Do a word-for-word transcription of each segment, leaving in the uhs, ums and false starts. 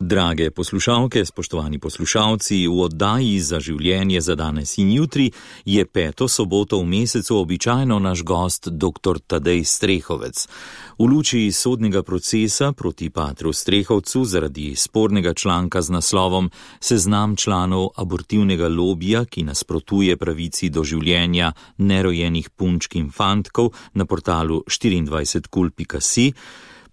Drage poslušalke, spoštovani poslušalci, v oddaji Za življenje za danes in jutri je peto soboto v mesecu običajno naš gost dr. Tadej Strehovec. V luči sodnega procesa proti patru Strehovcu zaradi spornega članka z naslovom Seznam članov abortivnega lobija, ki nasprotuje pravici do življenja nerojenih punčk in fantkov na portalu štiriindvajset kul pika si,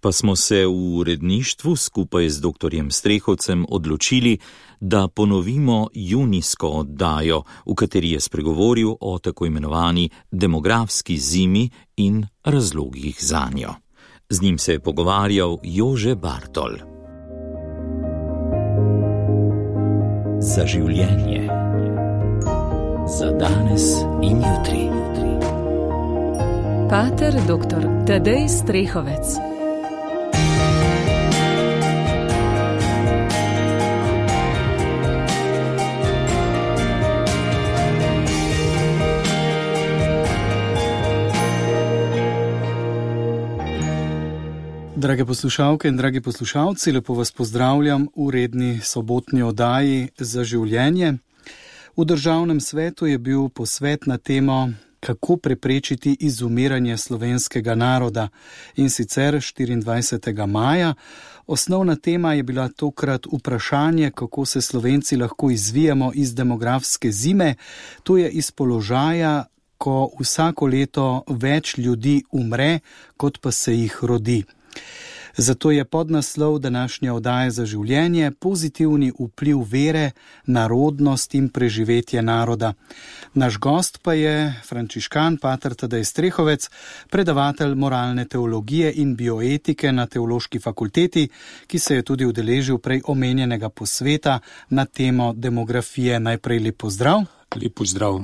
pa smo se v uredništvu skupaj z doktorjem Strehovcem odločili, da ponovimo junijsko oddajo, v kateri je spregovoril o tako imenovani demografski zimi in razlogih zanjo. Z njim se je pogovarjal Jože Bartol. Za življenje. Za danes in jutri. Pater doktor Tadej Strehovec. Drage poslušalke in dragi poslušalci, lepo vas pozdravljam v redni sobotni oddaji Za življenje. V Državnem svetu je bil posvet na temo, kako preprečiti izumiranje slovenskega naroda, in sicer štiriindvajsetega maja. Osnovna tema je bila tokrat vprašanje, kako se Slovenci lahko izvijemo iz demografske zime, to je iz položaja, ko vsako leto več ljudi umre, kot pa se jih rodi. Zato je podnaslov današnje oddaje Za življenje pozitivni vpliv vere, narodnost in preživetje naroda. Naš gost pa je frančiškan pater Tadej Strehovec, predavatelj moralne teologije in bioetike na Teološki fakulteti, ki se je tudi udeležil prej omenjenega posveta na temo demografije. Najprej lep pozdrav. Lep pozdrav.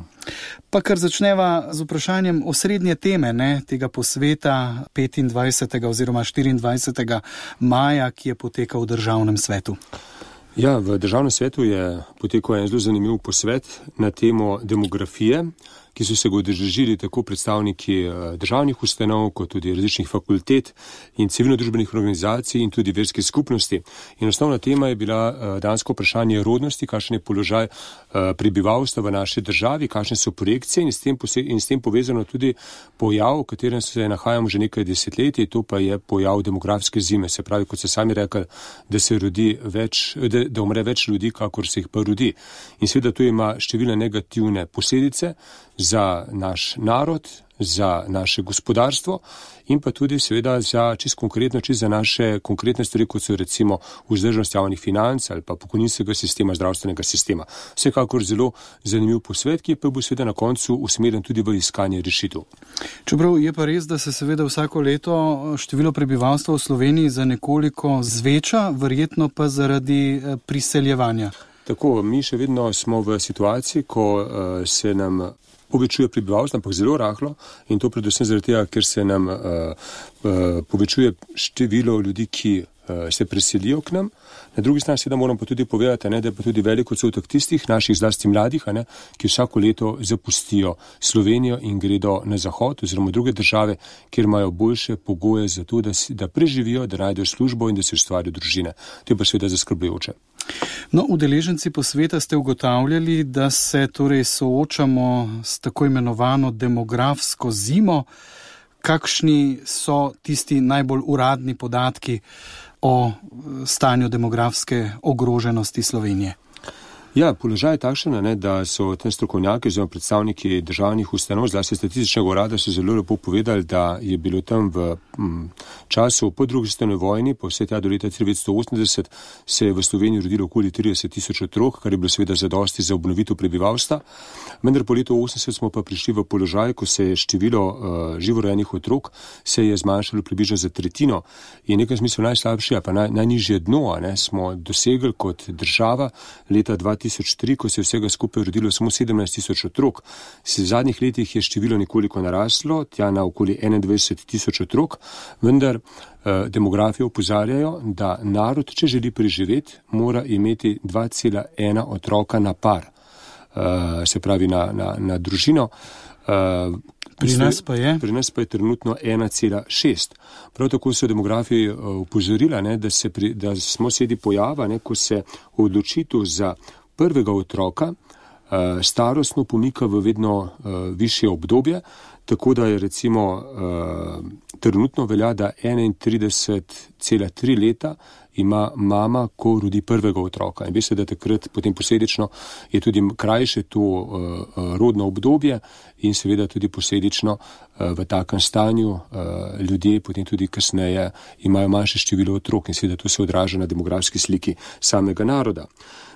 Pa kar začneva z vprašanjem osrednje teme ne, tega posveta petindvajsetega oziroma štiriindvajsetega maja, ki je potekal v Državnem svetu. Ja, v Državnem svetu je potekal en zelo zanimiv posvet na temo demografije, ki so se ga udeležili tako predstavniki državnih ustanov, kot tudi različnih fakultet in civilno-družbenih organizacij in tudi verskih skupnosti. In osnovna tema je bila dansko vprašanje rodnosti, kakšen je položaj prebivalstva v naši državi, kakšne so projekcije in s tem, in s tem povezano tudi pojav, v katerem se nahajamo že nekaj desetletij, to pa je pojav demografske zime. Se pravi, kot se sami rekli, da se rodi več, da, da umre več ljudi, kakor se jih pa rodi. In seveda to ima številne negativne posledice za naš narod, za naše gospodarstvo in pa tudi seveda za čisto konkretno, čisto za naše konkretne stvari, kot so recimo vzdržnost javnih financ ali pa pokojninskega sistema, zdravstvenega sistema. Vsekakor zelo zanimiv posvet, ki pa bo seveda na koncu usmerjen tudi v iskanje rešitev. Čeprav je pa res, da se seveda vsako leto število prebivalstva v Sloveniji za nekoliko zveča, verjetno pa zaradi priseljevanja. Tako, mi še vedno smo v situaciji, ko uh, se nam povečuje prebivalstvo, ampak zelo rahlo, in to predvsem zaradi tega, ker se nam uh, uh, povečuje število ljudi, ki uh, se preselijo k nam. Na drugi strani seveda moram pa tudi povedati, ne, da je pa tudi velik odstotek tistih naših zlasti mladih, ne, ki vsako leto zapustijo Slovenijo in gredo na zahod oziroma druge države, kjer imajo boljše pogoje za to, da, si, da preživijo, da najdejo službo in da si ustvarijo družine. To je pa seveda zaskrbljujoče. No, udeleženci posveta ste ugotavljali, da se torej soočamo s tako imenovano demografsko zimo. Kakšni so tisti najbolj uradni podatki o stanju demografske ogroženosti Slovenije? Ja, položaj je takšen, ne, da so tam strokovnjaki oziroma predstavniki državnih ustanov, zlasti statističnega urada, so zelo lepo povedali, da je bilo tam v m, času po drugi svetovni vojni, po vse tja do leta devetnajststo osemdeset, se je v Sloveniji rodilo okoli trideset tisoč otrok, kar je bilo seveda zadosti za obnovitev prebivalstva. Vendar po letu osemdeset smo pa prišli v položaj, ko se je število uh, živorojenih otrok se je zmanjšalo približno za tretjino. In nekaj smislu najslabše, pa naj, najnižje dno, ne, smo dosegli kot država leta dva tisoč tri, ko se je vsega skupaj rodilo samo sedemnajst tisoč otrok. V zadnjih letih je število nekoliko naraslo, tja na okoli enaindvajset tisoč otrok, vendar eh, demografi opozarjajo, da narod, če želi preživeti, mora imeti dva cela ena otroka na par, eh, se pravi na, na, na družino. Uh, Pri nas pa je? Pri nas pa je trenutno ena cela šest. Prav tako so demografi upozorila, ne, da, se pri, da smo sredi pojava, ne, ko se odločitev za prvega otroka uh, starostno pomika v vedno uh, višje obdobje, tako da je recimo uh, trenutno velja, da enaintrideset cela tri leta ima mama, ko rodi prvega otroka. In veste, da takrat potem posledično je tudi krajše to uh, rodno obdobje in seveda tudi posledično uh, v takem stanju uh, ljudje potem tudi kasneje imajo manjše število otrok in seveda to se odraža na demografski sliki samega naroda.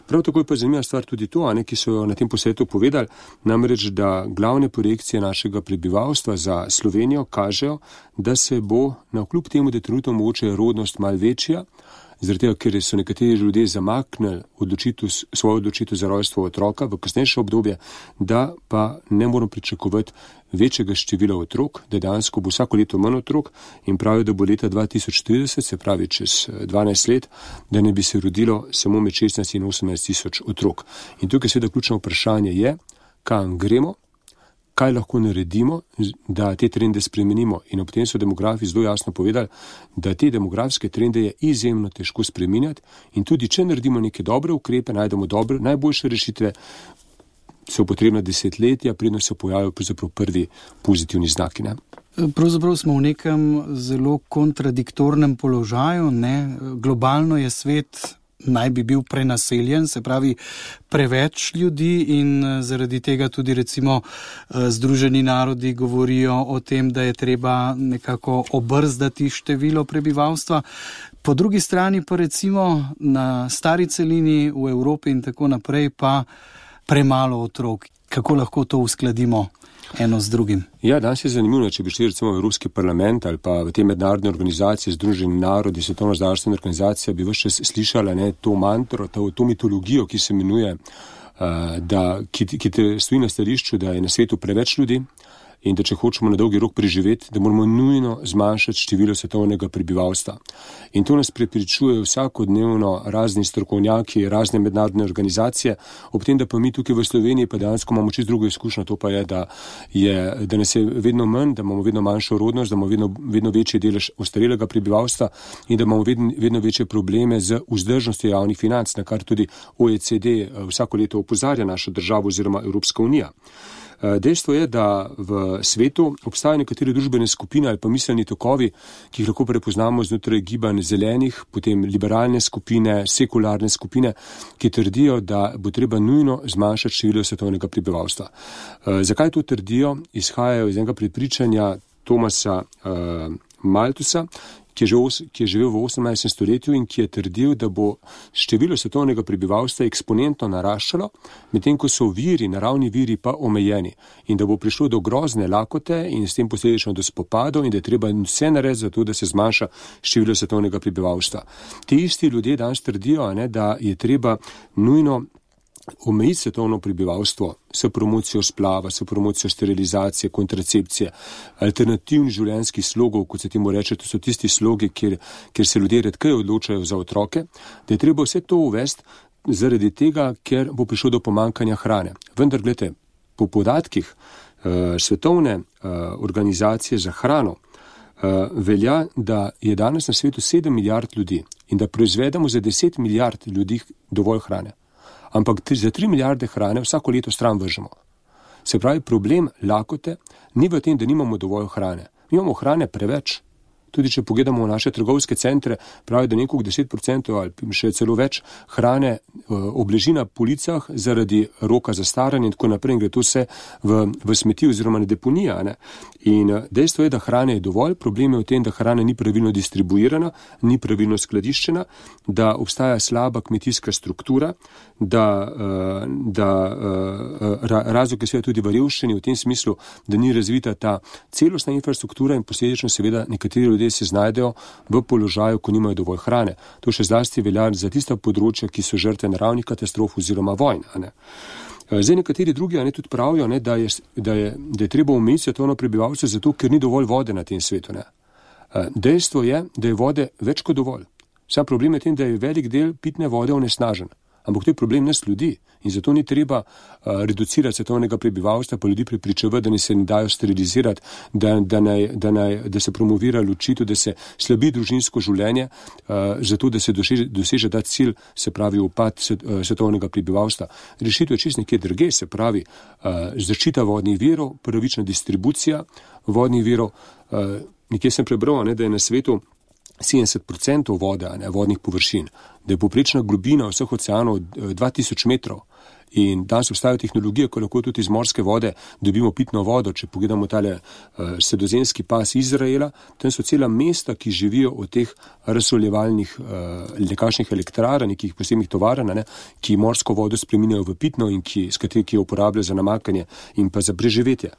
Prav tako je pa zanimiva stvar tudi to, ne, ki so na tem posvetu povedali, namreč, da glavne projekcije našega prebivalstva za Slovenijo kažejo, da se bo na kljub temu, da trenutno mogoče rodnost malo večja, zaradi tega, ker so nekateri ljudje zamaknili odločitev, svojo odločitev za rojstvo otroka v kasnejše obdobje, da pa ne moramo pričakovati večjega števila otrok, da dejansko bo vsako leto manj otrok in pravijo, da bo leta dva tisoč trideset, se pravi čez dvanajst let, da ne bi se rodilo samo med šestnajst in osemnajst tisoč otrok. In tukaj seveda ključno vprašanje je, kam gremo, kaj lahko naredimo, da te trende spremenimo. In ob tem so demografi zelo jasno povedali, da te demografske trende je izjemno težko spreminjati in tudi, če naredimo neke dobre ukrepe, najdemo dobre, najboljše rešitve, so potrebna desetletja, predno se pojavijo pravzaprav prvi pozitivni znaki. Ne? Pravzaprav smo v nekem zelo kontradiktornem položaju. Ne? Globalno je svet naj bi bil prenaseljen, se pravi preveč ljudi in zaradi tega tudi recimo Združeni narodi govorijo o tem, da je treba nekako obrzdati število prebivalstva. Po drugi strani pa recimo na stari celini v Evropi in tako naprej pa premalo otrok. Kako lahko to uskladimo eno z drugim? Ja, danes je zanimivo, če bi šli recimo v Evropski parlament ali pa v te mednarodne organizacije, Združeni narodi, Svetovna zdravstvena organizacija, bi vse čas slišala ne, to mantro, to, to mitologijo, ki se imenuje, uh, da, ki, ki te stoji na stališču, da je na svetu preveč ljudi in da če hočemo na dolgi rok preživeti, da moramo nujno zmanjšati število svetovnega prebivalstva. In to nas prepričujejo vsakodnevno razni strokovnjaki, razne mednarodne organizacije, ob tem, da pa mi tukaj v Sloveniji pa dejansko imamo čisto drugo izkušnjo, to pa je, da, je, da nas je vedno manj, da imamo vedno manjšo rodnost, da imamo vedno, vedno večji delež ostarelega prebivalstva in da imamo vedno, vedno večje probleme z vzdržnostjo javnih financ, na kar tudi O E C D vsako leto opozarja našo državo oziroma Evropska unija. Dejstvo je, da v svetu obstajajo nekatere družbene skupine ali pa miselni tokovi, ki jih lahko prepoznamo znotraj gibanj zelenih, potem liberalne skupine, sekularne skupine, ki trdijo, da bo treba nujno zmanjšati število svetovnega prebivalstva. Zakaj to trdijo? Izhajajo iz enega prepričanja Thomasa uh, Malthusa, ki je, živel, ki je živel v osemnajstem stoletju in ki je trdil, da bo število svetovnega prebivalstva eksponentno naraščalo, medtem ko so viri, naravni viri pa omejeni in da bo prišlo do grozne lakote in s tem posledično do spopadov in da je treba vse narediti za to, da se zmanjša število svetovnega prebivalstva. Ti isti ljudje danes trdijo, ne, da je treba nujno omejiti svetovno prebivalstvo s promocijo splava, s promocijo sterilizacije, kontracepcije, alternativnih življenjskih slogov, kot se temu reče, to so tisti slogi, kjer, kjer se ljudje redkeje odločajo za otroke, da je treba vse to uvesti zaradi tega, ker bo prišlo do pomankanja hrane. Vendar, gledajte, po podatkih uh, svetovne uh, organizacije za hrano uh, velja, da je danes na svetu sedem milijard ljudi in da proizvedemo za deset milijard ljudi dovolj hrane. Ampak za tri milijarde hrane vsako leto stran vržemo. Se pravi, problem lakote ni v tem, da nimamo dovolj hrane. Mi imamo hrane preveč. Tudi če pogledamo v naše trgovske centre, pravi, da nekog deset procentov ali še celo več hrane obleži na policah zaradi roka za staranje in tako naprej in gre to vse v, v smeti oziroma na deponija. Ne? In dejstvo je, da hrane je dovolj, problem je v tem, da hrana ni pravilno distribuirana, ni pravilno skladiščena, da obstaja slaba kmetijska struktura, da, da razlog je seveda tudi v revščini v tem smislu, da ni razvita ta celostna infrastruktura in posledično seveda nekateri ljudje se znajdejo v položaju, ko nimajo dovolj hrane. To še zlasti velja za tista področja, ki so žrtve naravnih katastrof oziroma vojn. Ne? Zdaj nekateri drugi ne, tudi pravijo, ne, da, je, da, je, da je treba omejiti svetovno prebivalstvo zato, ker ni dovolj vode na tem svetu. Ne? Dejstvo je, da je vode več kot dovolj. Sam problem je tem, da je velik del pitne vode onesnažen. ampak to je problem nas ljudi. In zato ni treba uh, reducirati svetovnega prebivalstva, pa ljudi prepričevati, da ne se ne dajo sterilizirati, da, da, naj, da, naj, da se promovira ločitev, da se slabi družinsko življenje, uh, zato da se doseže, doseže ta cilj, se pravi upad svet, uh, svetovnega prebivalstva. Rešitev je čisto nekje drugje, se pravi uh, zaščita vodnih virov, pravična distribucija vodnih virov. Uh, nekje sem prebral, ne, da je na svetu sedemdeset procentov vode, ne, vodnih površin, da je povprečna globina vseh oceanov dva tisoč metrov. In danes obstajajo tehnologije, ko lahko tudi iz morske vode dobimo pitno vodo. Če pogledamo tale uh, sredozemski pas Izraela, tam so cela mesta, ki živijo od teh razsoljevalnih uh, nekakšnih elektrarn, nekih posebnih tovarn, ne, ki morsko vodo spreminjajo v pitno in ki, s kateri, ki jo uporabljajo za namakanje in pa za preživetje.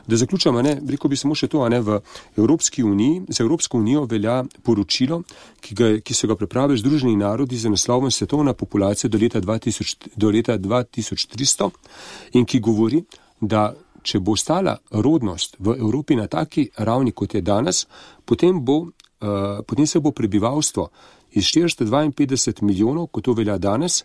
Da zaključamo, ne, rekel bi samo še to, ne, v Evropski uniji, za Evropsko unijo velja poročilo, ki, ga, ki so ga pripravili Združeni narodi za naslovom Svetovna populacija do leta dva tisoč, do leta dva tisoč tristo in ki govori, da če bo ostala rodnost v Evropi na taki ravni, kot je danes, potem, bo, uh, potem se bo prebivalstvo iz štiristo dvainpetdeset milijonov, kot to velja danes,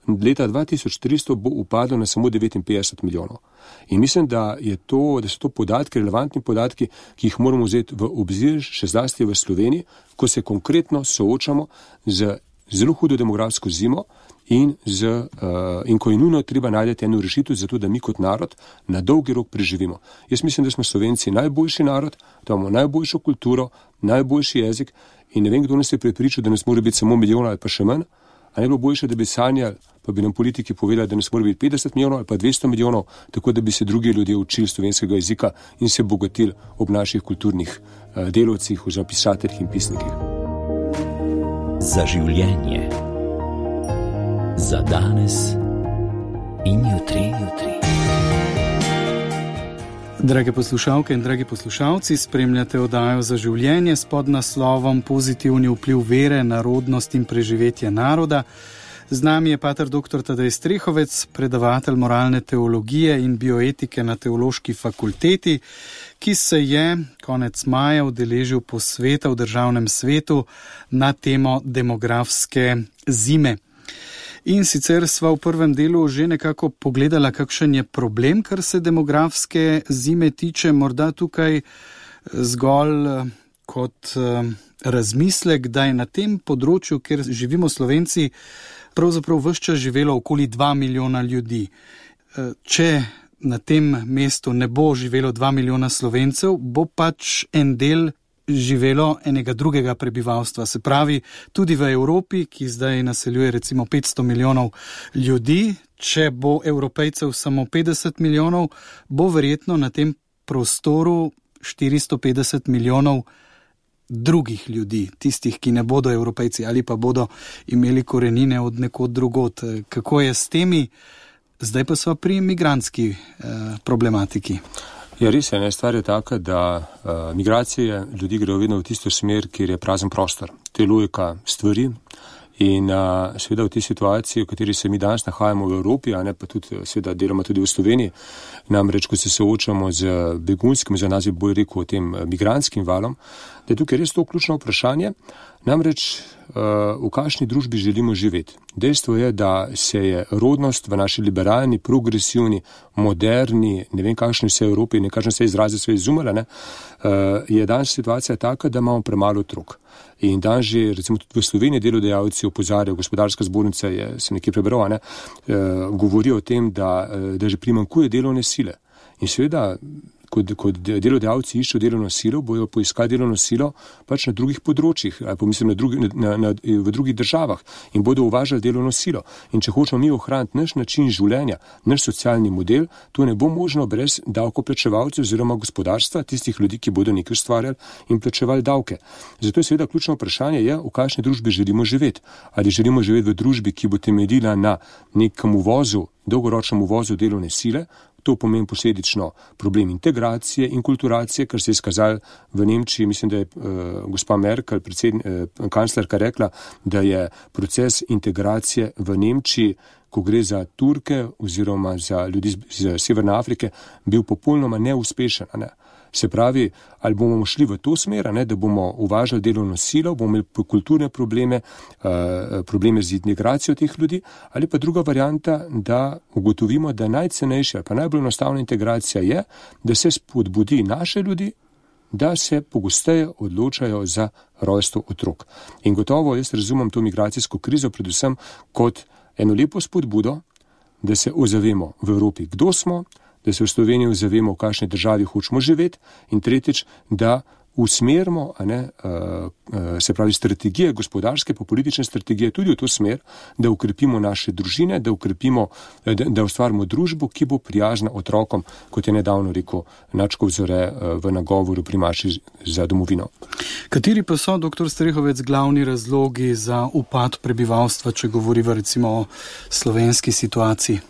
leta dva tisoč tristo bo upadlo na samo devetinpetdeset milijonov. In mislim, da, je to, da so to podatki, relevantni podatki, ki jih moramo vzeti v obzir, še zlasti v Sloveniji, ko se konkretno soočamo z zelo hudo demografsko zimo in, z, uh, in ko je nujno treba najti eno rešitev za to, da mi kot narod na dolgi rok preživimo. Jaz mislim, da smo Slovenci najboljši narod, da imamo najboljšo kulturo, najboljši jezik in ne vem, kdo nas je prepričal, da nas mora biti samo milijon ali pa še manj. A ne bilo boljše, da bi sanjali, pa bi nam politiki povedali, da nas mora biti petdeset milijonov ali pa dvesto milijonov, tako da bi se drugi ljudje učili slovenskega jezika in se bogatili ob naših kulturnih uh, delovcih, oziroma pisateljih in pisnikih. Za življenje. Za danes in jutri, jutri. Drage poslušalke in dragi poslušalci, spremljate oddajo Za življenje s podnaslovom Pozitivni vpliv vere na rodnost in preživetje naroda. Z nami je pater doktor Tadej Strehovec, predavatelj moralne teologije in bioetike na Teološki fakulteti, ki se je konec maja udeležil posveta v Državnem svetu na temo demografske zime. In sicer sva v prvem delu že nekako pogledala, kakšen je problem, kar se demografske zime tiče, morda tukaj zgolj kot razmislek, da je na tem področju, kjer živimo Slovenci, pravzaprav ves čas živelo okoli dva milijona ljudi. Če na tem mestu ne bo živelo dva milijona Slovencev, bo pač en del živelo enega drugega prebivalstva. Se pravi, tudi v Evropi, ki zdaj naseljuje recimo petsto milijonov ljudi, če bo Evropejcev samo petdeset milijonov, bo verjetno na tem prostoru štiristo petdeset milijonov drugih ljudi, tistih, ki ne bodo Evropejci ali pa bodo imeli korenine od nekod drugod. Kako je s temi? Zdaj pa sva pri migrantski eh, problematiki. Ja, res je, ne, stvar je taka, da uh, migracije ljudi grejo vedno v tisto smer, kjer je prazen prostor. To je logika stvari in uh, seveda v tej situaciji, v kateri se mi danes nahajamo v Evropi, a ne pa tudi seveda deloma tudi v Sloveniji, namreč, ko se soočamo z begunskim, za nas je bolj rekel o tem migrantskim valom, da je tukaj res to ključno vprašanje, namreč uh, v kakšni družbi želimo živeti. Dejstvo je, da se je rodnost v naši liberalni, progresivni, moderni, ne vem kakšni vse Evropi, ne kažem se izrazi sve izumela, ne, uh, je danes situacija taka, da imamo premalo otrok. In danes že, recimo tudi v Sloveniji delodajalci opozarjajo, gospodarska zbornica je, sem nekje prebral, ne, uh, govori o tem, da, uh, da že primanjkuje delovne sile. In seveda, Kot, kot delodajalci iščejo delovno silo, bojo poiskali delovno silo pač na drugih področjih, ali pa mislim na drugi, na, na, v drugih državah in bodo uvažali delovno silo. In če hočemo mi ohraniti naš način življenja, naš socialni model, to ne bo možno brez davkoplačevalcev oziroma gospodarstva, tistih ljudi, ki bodo nekaj ustvarjali in plačevali davke. Zato je seveda ključno vprašanje, je, v kakšni družbi želimo živeti. Ali želimo živeti v družbi, ki bo temeljila na nekem uvozu, dolgoročnem uvozu delovne sile. To pomeni posledično problem integracije in kulturacije, kar se je izkazalo v Nemčiji. Mislim, da je uh, gospa Merkel, predsedn, uh, kanclerka, rekla, da je proces integracije v Nemčiji, ko gre za Turke oziroma za ljudi iz Severne Afrike, bil popolnoma neuspešen. Ne? Se pravi, ali bomo šli v to smer, ne, da bomo uvažali delovno silo, bomo imeli kulturne probleme, uh, probleme z integracijo teh ljudi, ali pa druga varianta, da ugotovimo, da najcenejša, pa najbolj enostavna integracija je, da se spodbudi naše ljudi, da se pogosteje odločajo za rojstvo otrok. In gotovo jaz razumem to migracijsko krizo predvsem kot eno lepo spodbudo, da se ozavemo v Evropi, kdo smo, da se v Sloveniji ozavemo, v kakšni državi hočemo živeti, in tretjič, da usmerimo, a ne, uh, uh, se pravi strategije, gospodarske pa politične strategije tudi v to smer, da ukrepimo naše družine, da ukrepimo, da, da ustvarimo družbo, ki bo prijazna otrokom, kot je nedavno rekel Načkov Zore uh, v nagovoru pri Maši za domovino. Kateri pa so, doktor Strehovec, glavni razlogi za upad prebivalstva, če govoriva recimo o slovenski situaciji?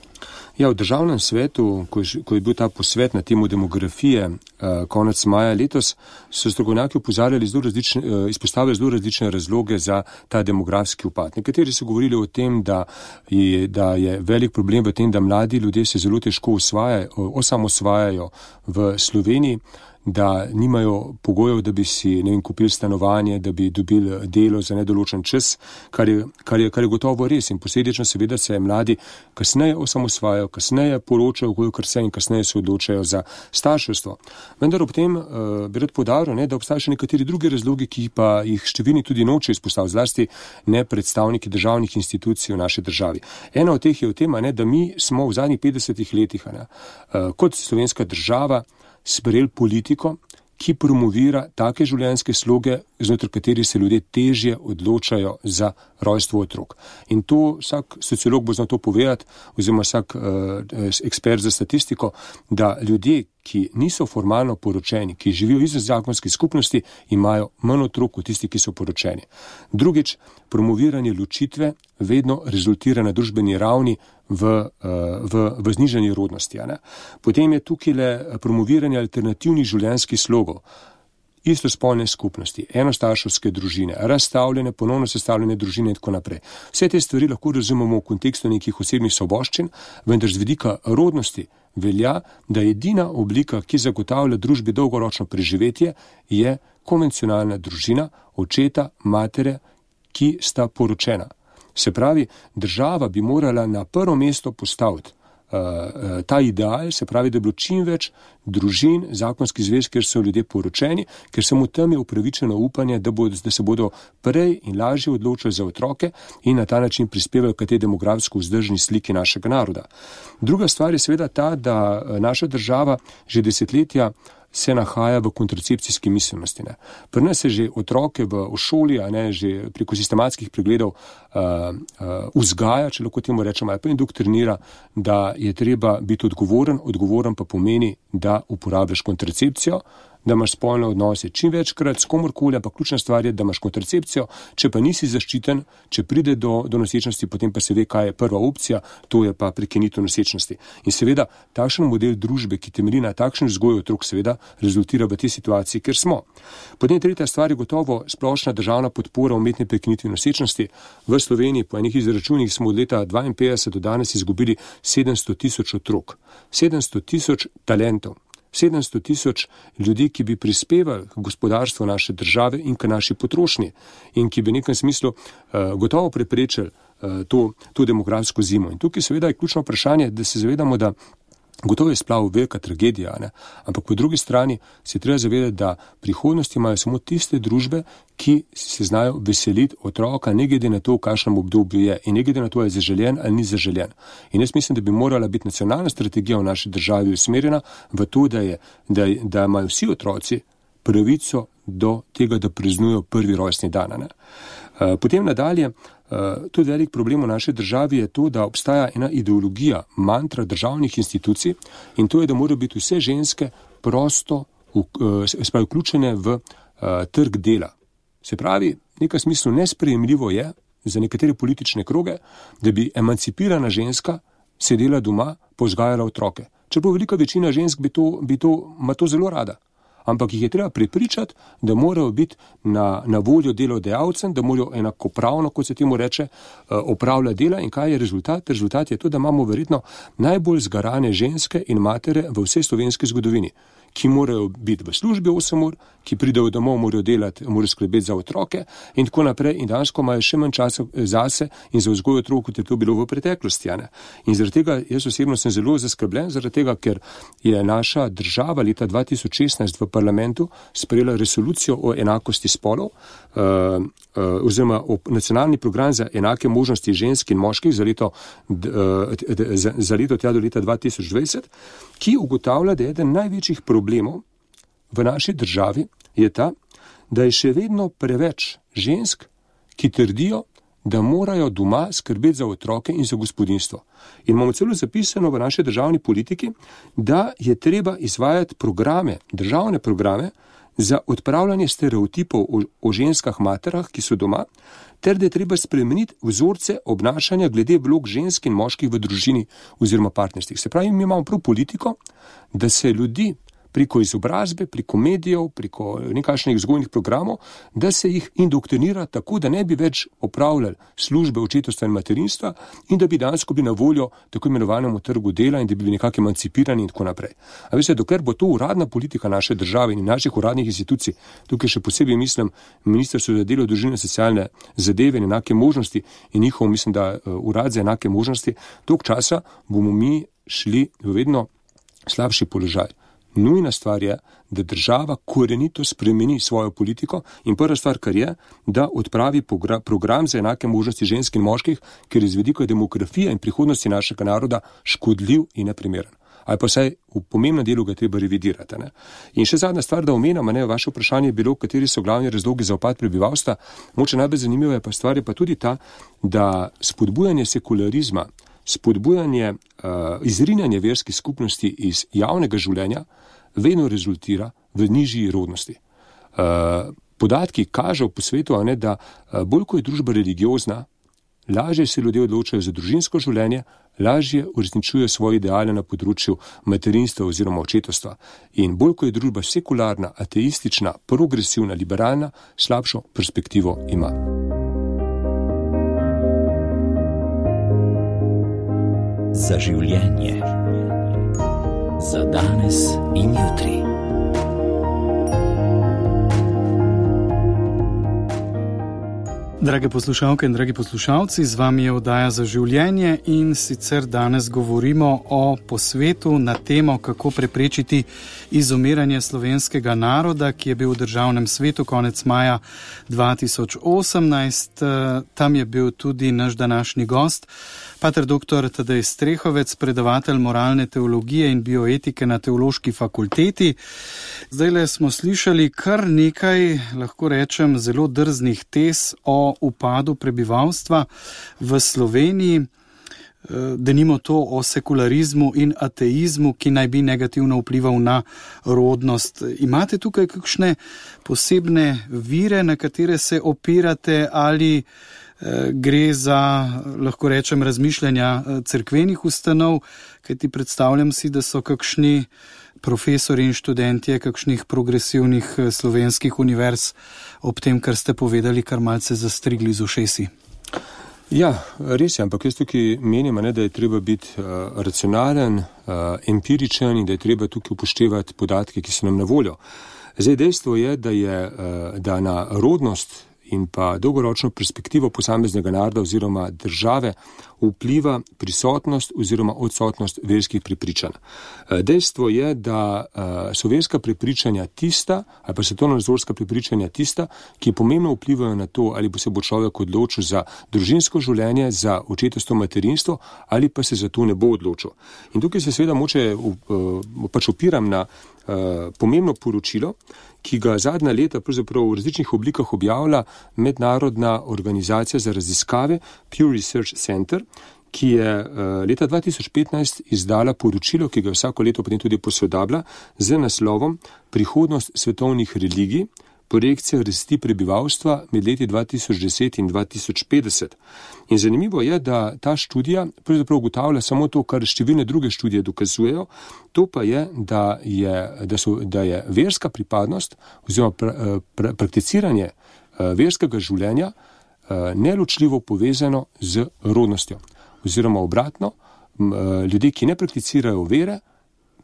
Ja, v državnem svetu, ko je, ko je bil ta posvet na temo demografije eh, konec maja letos, so strokovnjaki opozarjali zelo različne, eh, izpostavili zelo različne razloge za ta demografski upad. Nekateri so govorili o tem, da je, da je velik problem v tem, da mladi ljudje se zelo težko osvajajo, osamosvajajo v Sloveniji, da nimajo pogojev, da bi si, ne vem, kupili stanovanje, da bi dobili delo za nedoločen čas, kar je, kar je, kar je gotovo res. In posledično seveda se mladi kasneje osamosvajajo, kasneje poročajo, kar se in kasneje se odločajo za starševstvo. Vendar ob tem uh, bi rad poudaril, ne, da obstajajo še nekateri drugi razlogi, ki pa jih številni tudi noče izpostaviti, zlasti ne predstavniki državnih institucij v naši državi. Ena od teh je v tem, ne, da mi smo v zadnjih petdesetih letih ne, uh, kot slovenska država sprejeli politiko, ki promovira take življenjske sloge, znotraj katerih se ljudje težje odločajo za rojstvo otrok. In to vsak sociolog bo znal to povedati, oziroma vsak uh, ekspert za statistiko, da ljudje, ki niso formalno poročeni, ki živijo izven zakonskih skupnosti, imajo manj otrok kot tisti, ki so poročeni. Drugič, promoviranje ločitve vedno rezultira na družbeni ravni v, v, v znižanju rodnosti. Ne? Potem je tukaj le promoviranje alternativnih življenjskih slogov, istospolne skupnosti, enostarševske družine, razstavljene, ponovno sestavljene družine in tako naprej. Vse te stvari lahko razumemo v kontekstu nekih osebnih svoboščin, vendar z vidika rodnosti velja, da edina oblika, ki zagotavlja družbi dolgoročno preživetje, je konvencionalna družina, očeta, matere, ki sta poročena. Se pravi, država bi morala na prvo mesto postaviti uh, ta ideal, se pravi, da bi bilo čim več družin, zakonski zvez, kjer so ljudje poročeni, ker samo tam je upravičeno upanje, da, bo, da se bodo prej in lažje odločili za otroke in na ta način prispevali k tej demografsko vzdržni sliki našega naroda. Druga stvar je seveda ta, da naša država že desetletja se nahaja v kontracepcijski miselnosti. Ne. Pri nas se že otroke v, v šoli, a ne, že preko sistematskih pregledov uh, uh, vzgaja, če lahko temu rečemo, ali pa indoktrinira, da je treba biti odgovoren, odgovoren pa pomeni, da uporabljaš kontracepcijo, da imaš spolne odnose čim večkrat s komorkoli, ampak ključna stvar je, da imaš kontracepcijo, če pa nisi zaščiten, če pride do, do nosečnosti, potem pa se ve, kaj je prva opcija, to je pa prekinitev nosečnosti. In seveda, takšen model družbe, ki temelji na takšen vzgoju otrok, seveda rezultira v tej situaciji, kjer smo. Potem tretja stvar je gotovo splošna državna podpora umetne prekinitve nosečnosti. V Sloveniji po enih izračunih smo od leta dvainpetdeset do danes izgubili sedemsto tisoč otrok, sedemsto tisoč talentov, sedemsto tisoč ljudi, ki bi prispevali k gospodarstvu naše države in k naši potrošnji in ki bi v nekem smislu uh, gotovo preprečili uh, to, to demografsko zimo. In tukaj seveda je ključno vprašanje, da se zavedamo, da gotovo je splav velika tragedija, ne? Ampak po drugi strani se treba zavedati, da prihodnosti imajo samo tiste družbe, ki se znajo veseliti otroka, ne glede na to, v kakšnem obdobju je in ne glede na to, je zaželjen ali ni zaželjen. In jaz mislim, da bi morala biti nacionalna strategija v naši državi usmerjena v to, da, je, da, da imajo vsi otroci pravico do tega, da praznujejo prvi rojstni dan. Ne? Potem nadalje, tudi velik problem v naši državi je to, da obstaja ena ideologija, mantra državnih institucij in to je, da morajo biti vse ženske prosto vključene v trg dela. Se pravi, v nekem smislu nesprejemljivo je za nekatere politične kroge, da bi emancipirana ženska sedela doma, povzgajala otroke. Čeprav velika večina žensk bi to, bi to, ima to zelo rada. Ampak jih je treba prepričati, da morajo biti na, na voljo delodajalcem, da morajo enakopravno, kot se temu reče, opravljati dela. In kaj je rezultat? Rezultat je to, da imamo verjetno najbolj zgarane ženske in matere v vsej slovenski zgodovini, ki morajo biti v službi osem ur, ki pridejo domov, morajo delati, morajo skrbeti za otroke in tako naprej in dansko imajo še manj časa zase in za vzgojo otrok, kot je to bilo v preteklosti. Ne? In zaradi tega jaz osebno sem zelo zaskrbljen, zaradi tega, ker je naša država leta dva tisoč šestnajst v parlamentu sprejela resolucijo o enakosti spolov, uh, uh, oziroma o nacionalni program za enake možnosti žensk in moških za leto, uh, za, za leto tja do leta dva tisoč dvajset, ki ugotavlja, da je eden največjih problemov v naši državi je ta, da je še vedno preveč žensk, ki trdijo, da morajo doma skrbeti za otroke in za gospodinjstvo. In imamo celo zapisano v naši državni politiki, da je treba izvajati programe, državne programe za odpravljanje stereotipov o, o ženskah materah, ki so doma, ter da je treba spremeniti vzorce obnašanja glede vlog žensk in moških v družini oziroma partnerstvih. Se pravi, mi imamo prav politiko, da se ljudi preko izobrazbe, preko medijev, preko nekakšnih vzgojnih programov, da se jih indoktrinira tako, da ne bi več opravljali službe očetovstva in materinstva in da bi dejansko bili na voljo tako imenovanemu trgu dela in da bi bili nekako emancipirani in tako naprej. A veste, dokler bo to uradna politika naše države in naših uradnih institucij, tukaj še posebej mislim Ministrstvo za delo, družino in socialne zadeve in enake možnosti in njihov, mislim, da uh, urad za enake možnosti, dolg časa bomo mi šli v vedno slabši položaj. Nujna stvar je, da država korenito spremeni svojo politiko in prva stvar, kar je, da odpravi program za enake možnosti žensk in moških, ker iz vidika demografije in prihodnosti našega naroda škodljiv in neprimeren. Ali pa vsaj v pomembnem delu ga treba revidirati. Ne? In še zadnja stvar, da omenjam, ne, vaše vprašanje je bilo, kateri so glavni razlogi za upad prebivalstva. Moče najbolj zanimiva je pa stvar je pa tudi ta, da spodbujanje sekularizma, spodbujanje, uh, izrinjanje verskih skupnosti iz javnega življenja vedno rezultira v nižji rodnosti. Uh, podatki kažejo po svetu, a ne, da uh, bolj ko je družba religiozna, lažje se ljudje odločajo za družinsko življenje, lažje uresničujejo svoje ideale na področju materinstva oziroma očetovstva. In bolj ko je družba sekularna, ateistična, progresivna, liberalna, slabšo perspektivo ima. Za življenje, za danes in jutri. Drage poslušalke in dragi poslušalci, z vami je oddaja Za življenje in sicer danes govorimo o posvetu na temo, kako preprečiti izumiranje slovenskega naroda, ki je bil v državnem svetu konec maja dva tisoč osemnajst. Tam je bil tudi naš današnji gost, pater doktor Tadej Strehovec, predavatelj moralne teologije in bioetike na Teološki fakulteti. Zdajle smo slišali kar nekaj, lahko rečem, zelo drznih tez o upadu prebivalstva v Sloveniji, denimo to o sekularizmu in ateizmu, ki naj bi negativno vplival na rodnost. Imate tukaj kakšne posebne vire, na katere se opirate, ali gre za, lahko rečem, razmišljanja cerkvenih ustanov, kajti predstavljam si, da so kakšni profesori in študentje kakšnih progresivnih slovenskih univerz ob tem, kar ste povedali, kar malce zastrigli z ušesi. Ja, res je, ampak jaz tukaj menim, ne, da je treba biti uh, racionalen, uh, empiričen in da je treba tukaj upoštevati podatke, ki so nam na voljo. Zdaj, dejstvo je, da je uh, da na rodnost in pa dolgoročno perspektivo posameznega naroda oziroma države vpliva prisotnost oziroma odsotnost verskih prepričanj. Dejstvo je, da so verska prepričanja tista, ali pa svetovnonazorska prepričanja tista, ki pomembno vplivajo na to, ali bo se bo človek odločil za družinsko življenje, za očetovstvo, materinstvo, ali pa se za to ne bo odločil. In tukaj se seveda moče pač opiram na pomembno poročilo, ki ga zadnja leta pravzaprav v različnih oblikah objavlja mednarodna organizacija za raziskave Pew Research Center, ki je leta dva tisoč petnajst izdala poročilo, ki ga vsako leto potem tudi posodablja, z naslovom Prihodnost svetovnih religij, projekcija rasti prebivalstva med leti dva tisoč deset in dva tisoč petdeset. In zanimivo je, da ta študija pravzaprav ugotavlja samo to, kar številne druge študije dokazujejo, to pa je, da je, da so, da je verska pripadnost oziroma pra, pra, prakticiranje verskega življenja neločljivo povezano z rodnostjo. Oziroma obratno, ljudje, ki ne prakticirajo vere,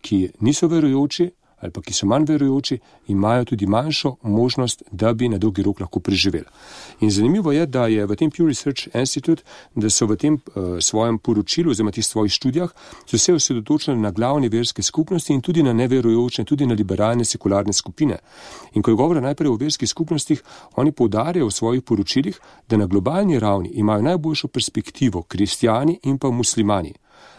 ki niso verujoči ali pa ki so manj verujoči, imajo tudi manjšo možnost, da bi na dolgi rok lahko preživeli. In zanimivo je, da je v tem Pew Research Institute, da so v tem uh, svojem poročilu, oziroma tih svojih študijah, so se osredotočili na glavne verske skupnosti in tudi na neverujoče, tudi na liberalne sekularne skupine. In ko je govora najprej o verskih skupnostih, oni poudarjajo v svojih poročilih, da na globalni ravni imajo najboljšo perspektivo kristjani in pa muslimani.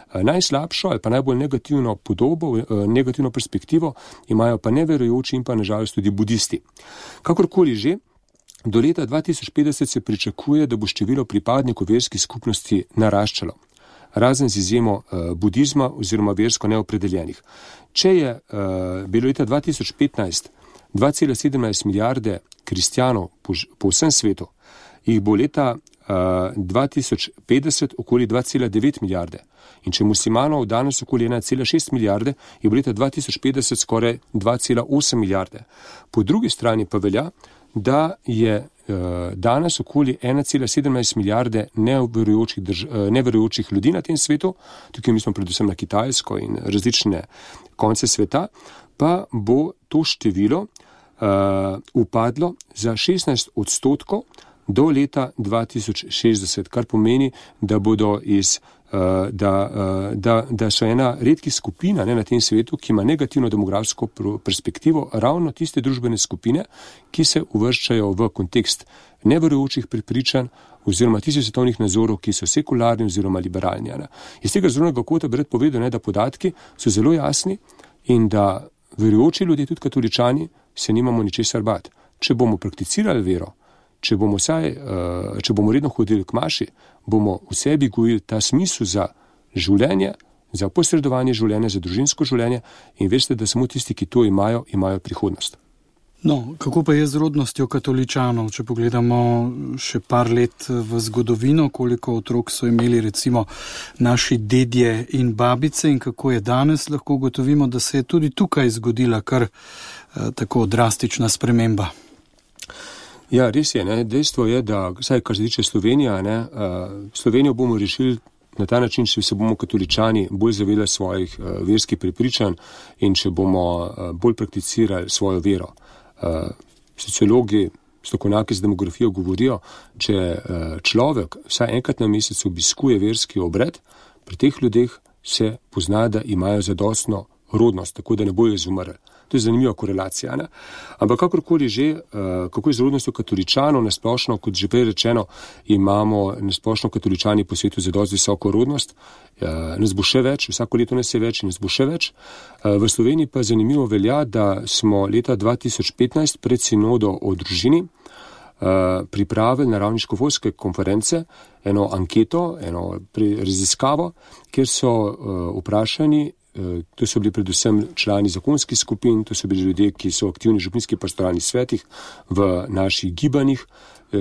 Najslabšo ali pa najbolj negativno podobo, negativno perspektivo imajo pa neverujoči in pa nažalost tudi budisti. Kakorkoli že, do leta dva tisoč petdeset se pričakuje, da bo število pripadnikov verskih skupnosti naraščalo, razen z izjemo uh, budizma oziroma versko neopredeljenih. Če je uh, bilo leta dva tisoč petnajst dva cela sedemnajst milijarde kristjanov po, po vsem svetu, jih bo leta uh, dva tisoč petdeset okoli dva cela devet milijarde. In če muslimanov danes okoli ena cela šest milijarde, je bo leta dva tisoč petdeset skoraj dva cela osem milijarde. Po drugi strani pa velja, da je uh, danes okoli ena cela sedemnajst milijarde neverujočih, drž, uh, neverujočih ljudi na tem svetu, tukaj mi smo predvsem na Kitajsko in različne konce sveta, pa bo to število uh, upadlo za šestnajst odstotkov do leta dva tisoč šestdeset, kar pomeni, da bodo iz Uh, da, uh, da, da so ena redkih skupina ne, na tem svetu, ki ima negativno demografsko perspektivo, ravno tiste družbene skupine, ki se uvrščajo v kontekst neverujočih prepričanj oziroma tistih svetovnih nazorov, ki so sekularni oziroma liberalni. Ne. Iz tega zornega kota bi rad povedal, ne, da podatki so zelo jasni in da verujoči ljudje, tudi katoličani, se nimamo ničesar bati. Če bomo prakticirali vero, če bomo, saj, uh, če bomo redno hodili k maši, bomo v sebi gojili ta smisel za življenje, za posredovanje življenja, za družinsko življenje in veste, da samo tisti, ki to imajo, imajo prihodnost. No, kako pa je z rodnostjo katoličanov, če pogledamo še par let v zgodovino, koliko otrok so imeli recimo naši dedje in babice in kako je danes, lahko ugotovimo, da se je tudi tukaj zgodila kar eh, tako drastična sprememba. Ja, res je. Ne? Dejstvo je, da vsaj kar se tiče Slovenija, ne, uh, Slovenijo bomo rešili na ta način, če se bomo katoličani bolj zavedali svojih uh, verskih prepričanj in če bomo uh, bolj prakticirali svojo vero. Uh, sociologi, strokovnjaki z demografijo govorijo, če uh, človek vsaj enkrat na mesec obiskuje verski obred, pri teh ljudeh se pozna, da imajo zadostno rodnost, tako da ne bojo izumrli. To je zanimiva korelacija. Ne? Ampak kakorkoli že, kako je z rodnostjo katoličanov, nasplošno, kot že prej rečeno, imamo nasplošno katoličani po svetu za dosti visoko rodnost. Nas bo še več, vsako leto nas je več in nas bo še več. V Sloveniji pa zanimivo velja, da smo leta dva tisoč petnajst pred sinodo o družini pripravili na ravni škofovske konference eno anketo, eno raziskavo, kjer so vprašani. To so bili predvsem člani zakonskih skupin, to so bili ljudje, ki so aktivni v župnijskih pastoralnih svetih, v naših gibanjih,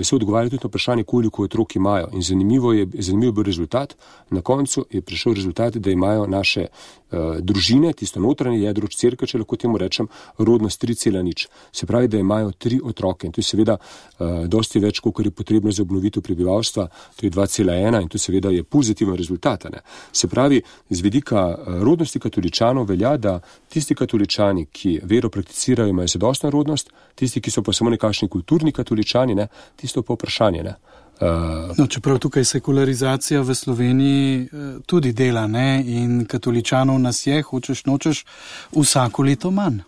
so odgovarjali tudi na vprašanje, koliko otrok imajo. In zanimivo je, zanimivo je bil rezultat. Na koncu je prišel rezultat, da imajo naše uh, družine, tisto notranje jedro cerkve, če lahko temu rečem, rodnost tri cela nič. Se pravi, da imajo tri otroke. In to je seveda uh, dosti več, koliko je potrebno za obnovitev prebivalstva. To je dva cela ena in to seveda je pozitiven rezultat. Ne? Se pravi, z vidika uh, rodnosti katoličanov velja, da tisti katoličani, ki vero prakticirajo, imajo zadostno rodnost, tisti, ki so pa samo nekakšni kulturni katoličani, ne, tisto pa vprašanje. Ne. Uh, no, čeprav tukaj sekularizacija v Sloveniji tudi dela, ne, in katoličanov nas je, hočeš nočeš, vsako leto manj.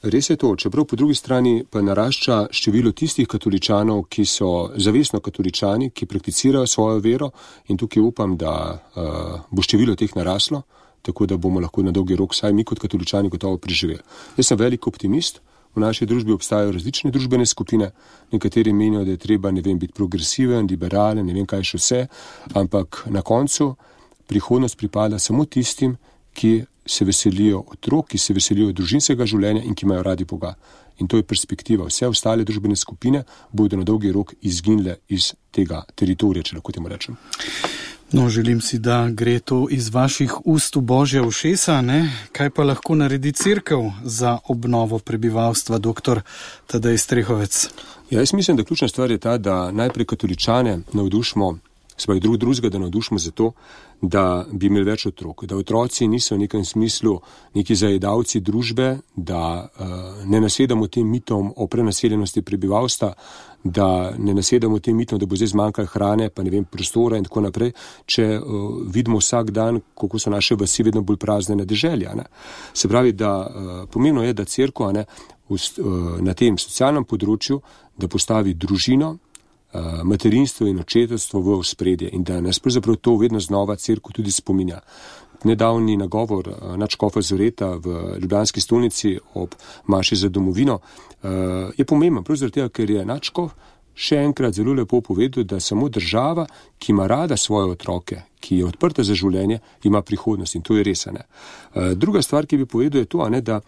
Res je to, čeprav po drugi strani pa narašča število tistih katoličanov, ki so zavestno katoličani, ki prakticirajo svojo vero in tukaj upam, da uh, bo število teh naraslo, tako da bomo lahko na dolgi rok saj mi kot katoličani gotovo preživeli. Jaz sem velik optimist. V naši družbi obstajajo različne družbene skupine, nekateri menijo, da je treba, ne vem, biti progresiven, liberalen, ne vem kaj še vse, ampak na koncu prihodnost pripada samo tistim, ki se veselijo otrok, ki se veselijo družinskega življenja in ki imajo radi Boga. In to je perspektiva. Vse ostale družbene skupine bodo na dolgi rok izginile iz tega teritorija, če lahko temu rečem. No, želim si, da gre to iz vaših ust v Božja ušesa, ne? Kaj pa lahko naredi cerkev za obnovo prebivalstva, doktor Tadej Strehovec? Ja, jaz mislim, da ključna stvar je ta, da najprej katoličane navdušimo Svoj drug drugega, da navdušimo za to, da bi imeli več otrok, da otroci niso v nekem smislu neki zajedavci družbe, da uh, ne nasedamo tem mitom o prenaseljenosti prebivalstva, da ne nasedamo tem mitom, da bo zdaj zmanjkalo hrane, pa ne vem, prostora in tako naprej, če uh, vidimo vsak dan, kako so naše vasi vedno bolj prazne na deželi. Se pravi, da uh, pomembno je, da cerkev uh, na tem socialnem področju, da postavi družino, materinstvo in očetovstvo v ospredje in da nas pravzaprav to vedno znova cerkev tudi spominja. Nedavni nagovor nadškofa Zoreta v ljubljanski stolnici ob maši za domovino je pomemben, prav zaradi tega, ker je nadškof še enkrat zelo lepo povedal, da samo država, ki ima rada svoje otroke, ki je odprta za življenje, ima prihodnost in to je res. Ne? Druga stvar, ki bi povedal, je to, ne, da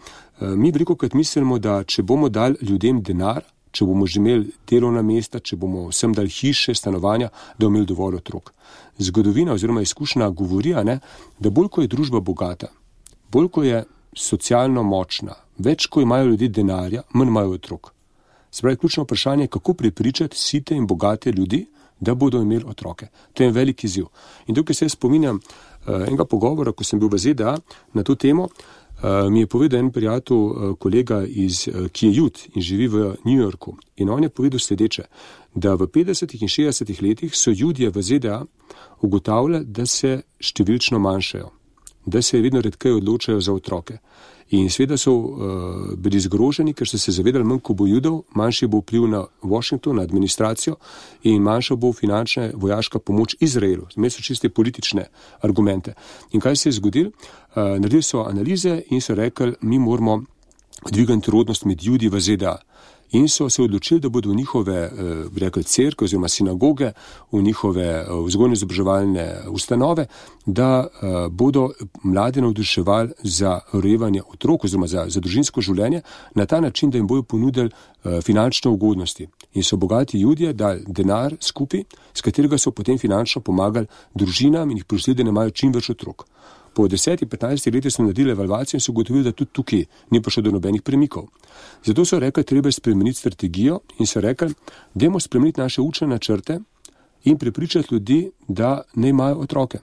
mi velikokrat mislimo, da če bomo dali ljudem denar, če bomo že imeli delovna mesta, če bomo vsem dali hiše, stanovanja, da bomo imeli dovolj otrok. Zgodovina oziroma izkušnja govori, ne, da bolj ko je družba bogata, bolj ko je socialno močna, več ko imajo ljudi denarja, manj imajo otrok. Se pravi, ključno vprašanje je, kako prepričati site in bogate ljudi, da bodo imeli otroke. To je en velik izziv. In tukaj se spominjam uh, enega pogovora, ko sem bil v Z D A na to temo, Uh, mi je povedal en prijatelj, uh, kolega, iz, uh, ki je jud in živi v New Yorku. In on je povedal sledeče, da v petdesetih in šestdesetih letih so judje v Z D A ugotavljali, da se številčno manjšajo, da se vedno redkeje odločajo za otroke. In seveda so uh, bili zgroženi, ker so se zavedali, manj ko bo judov, manjši bo vpliv na Washington, na administracijo in manjša bo finančna vojaška pomoč Izraelu. Imeli so čiste politične argumente. In kaj se je zgodilo? Uh, naredili so analize in so rekli, mi moramo dvigati rodnost med judi v Z D A. In so se odločili, da bodo v njihove, bi rekli, cerkve oziroma sinagoge, v njihove vzgojno-izobraževalne ustanove, da bodo mlade navduševali za rojevanje otrok oziroma za, za družinsko življenje na ta način, da jim bodo ponudili finančne ugodnosti. In so bogati judje dali denar skupaj, s katerega so potem finančno pomagali družinam in jih prosili, da ne imajo čim več otrok. Po desetih, petnajstih letih so naredili evalvacijo in so ugotovili, da tudi tukaj ni prišlo do nobenih premikov. Zato so rekli, treba je spremeniti strategijo in so rekli, dajmo spremeniti naše učne načrte in prepričati ljudi, da ne imajo otroke.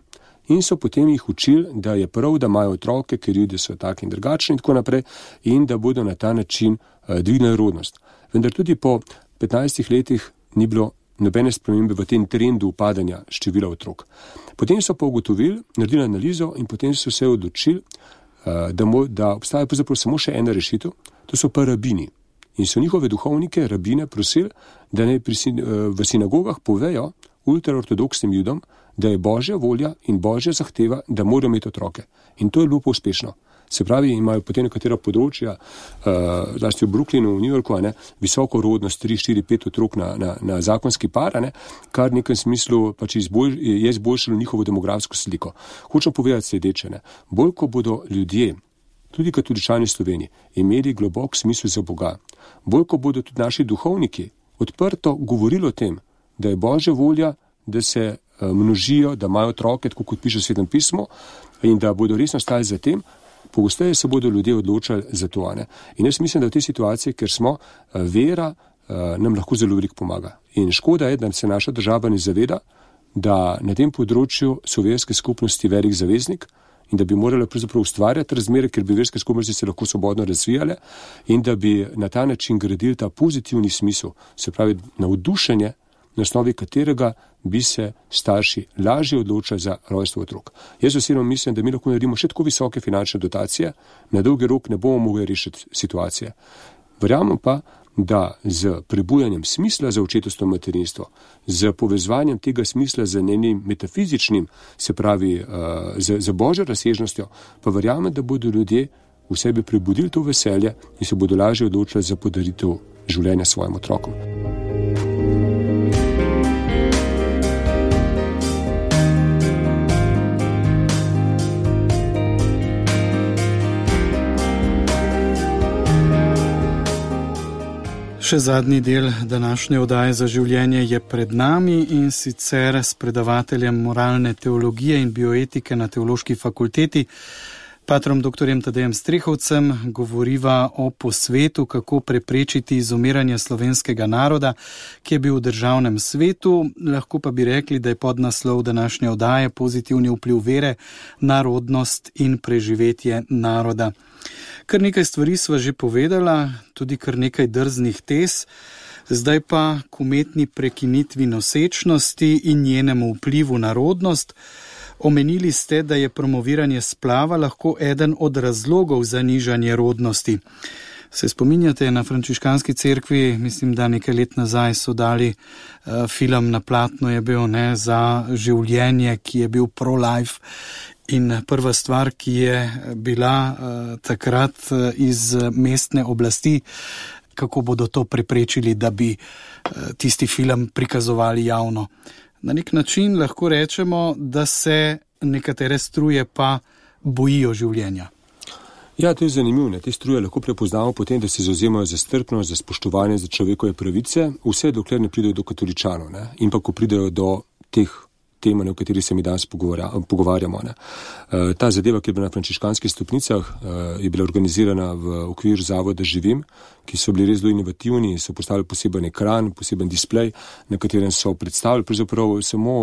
In so potem jih učili, da je prav, da imajo otroke, ker ljudje so taki in drugačni in tako naprej in da bodo na ta način uh, dvignili rodnost. Vendar tudi po petnajstih letih ni bilo nobene spremembe v tem trendu upadanja števila otrok. Potem so pa ugotovili, naredili analizo in potem so se odločili, da, mo, da obstaja pravzaprav samo še ena rešitev, to so pa rabini. In so njihove duhovnike, rabine, prosili, da ne pri, v sinagogah povejo ultraortodoksnim judom, da je Božja volja in Božja zahteva, da morajo imeti otroke. In to je bilo uspešno. Se pravi, imajo potem nekatera področja, uh, zlasti v Brooklynu, v New Yorku, ne, visoko rodnost, tri, štiri, pet otrok na, na, na zakonski par, ne, kar v nekem smislu pač izbolj, je izboljšalo njihovo demografsko sliko. Hočem povedati sledeče, ne, bolj ko bodo ljudje, tudi katoličani v Sloveniji, imeli globok smisel za Boga, bolj ko bodo tudi naši duhovniki odprto govorili o tem, da je Božja volja, da se uh, množijo, da imajo otroke, tako kot piše v Svetem pismu, in da bodo resno stali za tem, pogosteje se bodo ljudje odločali za to. Ne? In jaz mislim, da v tej situaciji, ker smo, vera nam lahko zelo veliko pomaga. In škoda je, da se naša država ne zaveda, da na tem področju so verske skupnosti velik zaveznik in da bi morali pravzaprav ustvarjati razmere, ker bi verske skupnosti se lahko svobodno razvijale in da bi na ta način gradili ta pozitivni smisel, se pravi navdušenje, na osnovi katerega bi se starši lažje odločali za rojstvo otrok. Jaz osebno mislim, da mi lahko naredimo še tako visoke finančne dotacije, na dolgi rok ne bomo mogli rešiti situacije. Verjamem pa, da z prebujanjem smisla za očetovstvo in materinstvo, z povezovanjem tega smisla z njenim metafizičnim, se pravi uh, z, z Božjo razsežnostjo, pa verjamem, da bodo ljudje v sebi prebudili to veselje in se bodo lažje odločili za podaritev življenja svojim otrokom. Še zadnji del današnje oddaje Za življenje je pred nami in sicer s predavateljem moralne teologije in bioetike na Teološki fakulteti, Patrom doktorjem Tadejem Strehovcem govoriva o posvetu, kako preprečiti izumiranje slovenskega naroda, ki je bil v državnem svetu. Lahko pa bi rekli, da je podnaslov današnje oddaje pozitivni vpliv vere, narodnost in preživetje naroda. Kar nekaj stvari sva že povedala, tudi kar nekaj drznih tez. Zdaj pa k umetni prekinitvi nosečnosti in njenemu vplivu na rodnost. Omenili ste, da je promoviranje splava lahko eden od razlogov za nižanje rodnosti. Se spominjate, na frančiškanski cerkvi, mislim, da nekaj let nazaj so dali uh, film na platno, je bil ne, za življenje, ki je bil pro-life. In prva stvar, ki je bila uh, takrat uh, iz mestne oblasti, kako bodo to preprečili, da bi uh, tisti film prikazovali javno. Na nek način lahko rečemo, da se nekatere struje pa bojijo življenja. Ja, to je zanimivo. Te struje lahko prepoznamo potem, da se zauzemajo za strpnost, za spoštovanje, za človekove pravice, vse dokler ne pridejo do katoličanov, ne? In pa ko pridejo do teh tema, o kateri se mi danes pogovarjamo. Ne. Ta zadeva, ki je bila na frančiškanskih stopnicah, je bila organizirana v okviru zavoda Živim, ki so bili res zelo inovativni, so postavili poseben ekran, poseben displej, na katerem so predstavili pravzaprav samo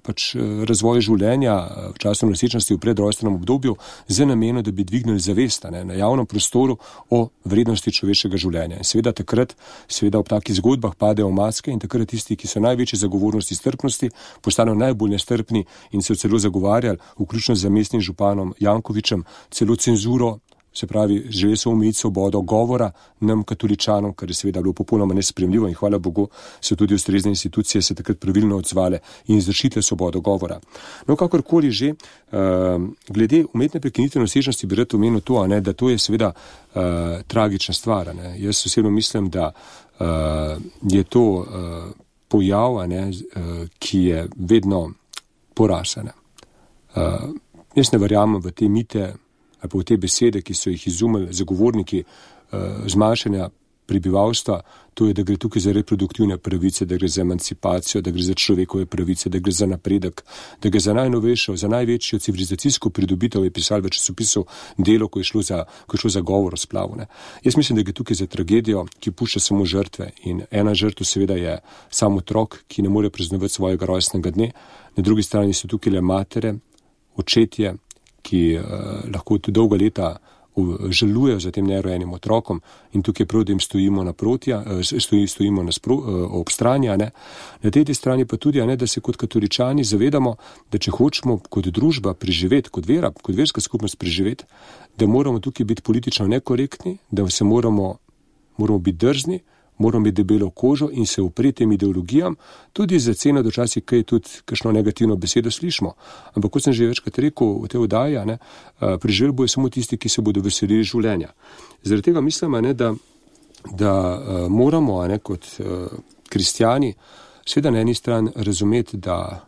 pač razvoj življenja v času nosečnosti v predrojstvenem obdobju z namenom, da bi dvignili zavest ne, na javnem prostoru o vrednosti človeškega življenja. In seveda takrat, seveda ob takih zgodbah padejo maske in takrat tisti, ki so največji zagovornosti strpnosti, postanejo najbolj nestrpni in so celo zagovarjali, vključno z mestnim županom Jankovičem, celo cenzuro, se pravi, želeli so omejiti svobodo govora nam katoličanom, kar je seveda bilo popolnoma nesprejemljivo in hvala Bogu so tudi ustrezne institucije se takrat pravilno odzvale in zaščitile svobodo govora. No, kakorkoli že, uh, glede umetne prekinitve nosečnosti bi rad omenil to, a ne, da to je seveda uh, tragična stvar. Ne. Jaz osebno mislim, da uh, je to uh, pojav, ne, ki je vedno porasane. Uh, jaz ne verjamem v te mite ali pa v te besede, ki so jih izumili zagovorniki uh, zmanjšanja prebivalstva, to je, da gre tukaj za reproduktivne pravice, da gre za emancipacijo, da gre za človekove pravice, da gre za napredek, da gre za najnovejšo, za največjo civilizacijsko pridobitev, je pisal v časopisu Delo, ko je šlo za, ko je šlo za govor o splavu. Ne. Jaz mislim, da gre tukaj za tragedijo, ki pušča samo žrtve in ena žrtev seveda je sam otrok, ki ne more praznovati svojega rojstnega dne, na drugi strani so tukaj le matere, očetje, ki uh, lahko tudi dolga leta žalujejo za tem nerojenim otrokom in tukaj prav, da jim stojimo naproti, stoji, stojimo naspro, ob strani, a ne. Na tej strani pa tudi, a ne, da se kot katoličani zavedamo, da če hočemo kot družba preživeti, kot vera, kot verska skupnost preživeti, da moramo tukaj biti politično nekorektni, da se moramo, moramo biti drzni, moramo biti debelo kožo in se upreti tem ideologijam, tudi za ceno, da včasih kaj tudi kakšno negativno besedo slišimo. Ampak kot sem že večkrat rekel v tej oddaji, ne, preživeli bojo samo tisti, ki se bodo veselili življenja. Zaradi tega mislim, ne, da, da uh, moramo ne, kot uh, kristjani seveda na eni strani razumeti, da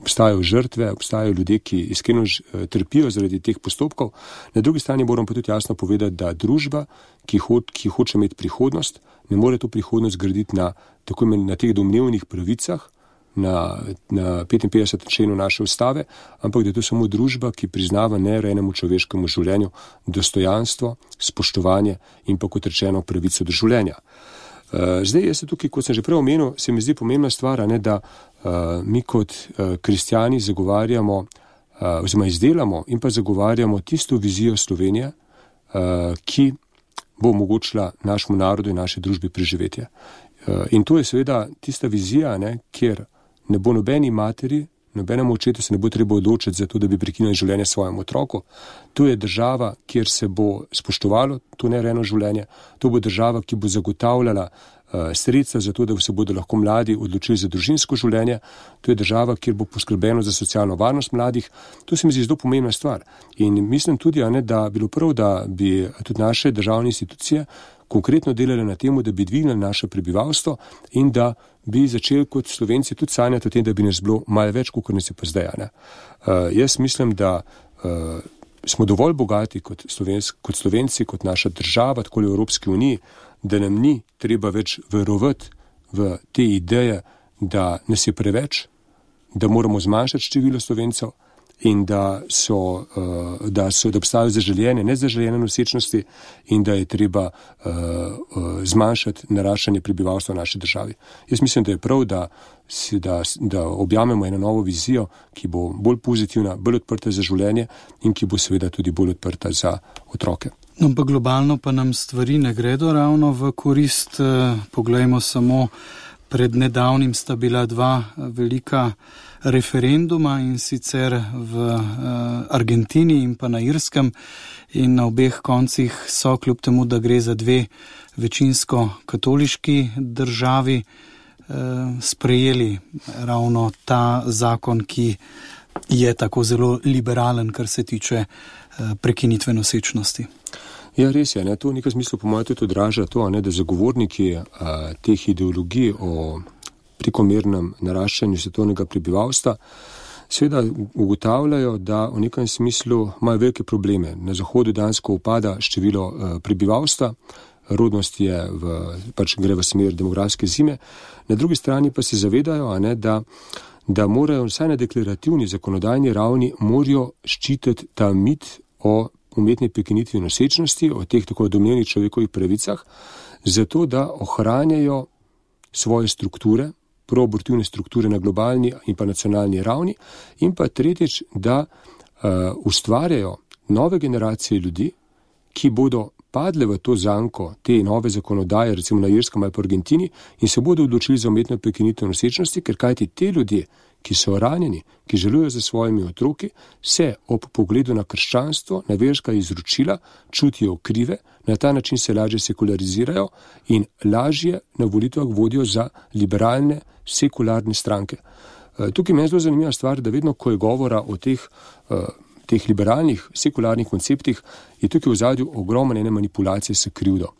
obstajajo žrtve, obstajajo ljudje, ki iskreno trpijo zaradi teh postopkov. Na drugi strani moramo pa tudi jasno povedati, da družba, ki, ho, ki hoče imeti prihodnost, ne more to prihodnost graditi na, tako imen, na teh domnevnih pravicah, na, na petinpetdesetem členu naše ustave, ampak da je to samo družba, ki priznava nerojenemu človeškemu življenju dostojanstvo, spoštovanje in pa kot rečeno pravico do življenja. Zdaj, jaz se tukaj, kot sem že prej omenil, se mi zdi pomembna stvar, ne, da uh, mi kot uh, kristjani zagovarjamo, uh, oziroma izdelamo in pa zagovarjamo tisto vizijo Slovenije, uh, ki bo omogočila našemu narodu in naši družbi preživetje. Uh, in to je seveda tista vizija, ne, kjer ne bo nobeni materi, nobenemu očetu se ne bo treba odločiti za to, da bi prekinili življenje svojemu otroku. To je država, kjer se bo spoštovalo to nerejeno življenje. To bo država, ki bo zagotavljala uh, sredstva za to, da se bodo lahko mladi odločili za družinsko življenje. To je država, kjer bo poskrbljeno za socialno varnost mladih. To se mi zdi zelo pomembna stvar. In mislim tudi, a ne, da bi bilo prav, da bi tudi naše državne institucije konkretno delali na temu, da bi dvignili naše prebivalstvo in da bi začeli kot Slovenci tudi sanjati o tem, da bi nas bilo malo več, kot nas je pa zdaj. Uh, jaz mislim, da uh, smo dovolj bogati kot, Slovenci, kot Slovenci, kot naša država, tako v Evropski uniji, da nam ni treba več verovati v te ideje, da nas je preveč, da moramo zmanjšati število Slovencev, in da so, da so, da obstajajo zaželjene, nezaželjene nosečnosti in da je treba uh, uh, zmanjšati naraščanje prebivalstva v naši državi. Jaz mislim, da je prav, da, si, da, da objamemo eno novo vizijo, ki bo bolj pozitivna, bolj odprta za življenje in ki bo seveda tudi bolj odprta za otroke. No, pa globalno pa nam stvari ne gredo ravno v korist. Poglejmo samo, pred nedavnim sta bila dva velika referenduma, in sicer v Argentini in pa na Irskem, in na obeh koncih so, kljub temu, da gre za dve večinsko katoliški državi, sprejeli ravno ta zakon, ki je tako zelo liberalen, kar se tiče prekinitve nosečnosti. Ja, res je, ne? To v nekem smislu po mojem tudi odraža to, ne, da zagovorniki a, teh ideologij o prekomernem naraščanju svetovnega prebivalstva seveda ugotavljajo, da v nekem smislu imajo velike probleme. Na Zahodu dansko upada število a, prebivalstva, rodnost je v, pač gre v smer demografske zime, na drugi strani pa se zavedajo, a ne, da da morajo vsaj na deklarativni zakonodajni ravni morajo ščititi ta mit o umetni prekinitvi nosečnosti, o teh tako domnevnih človekovih pravicah, zato da ohranjajo svoje strukture, proabortivne strukture na globalni in pa nacionalni ravni, in pa tretjič, da uh, ustvarjajo nove generacije ljudi, ki bodo padle v to zanko te nove zakonodaje, recimo na Irskem ali pa Argentini, in se bodo odločili za umetno prekinitev nosečnosti, ker kajti te ljudje, ki so ranjeni, ki želujejo za svojimi otroki, se ob pogledu na krščanstvo, na verska izročila čutijo krive, na ta način se lažje sekularizirajo in lažje na volitvah vodijo za liberalne, sekularne stranke. Tukaj meni je zelo zanimiva stvar, da vedno, ko je govora o teh teh liberalnih, sekularnih konceptih, je tukaj v ozadju ogromne ene manipulacije s krivdo.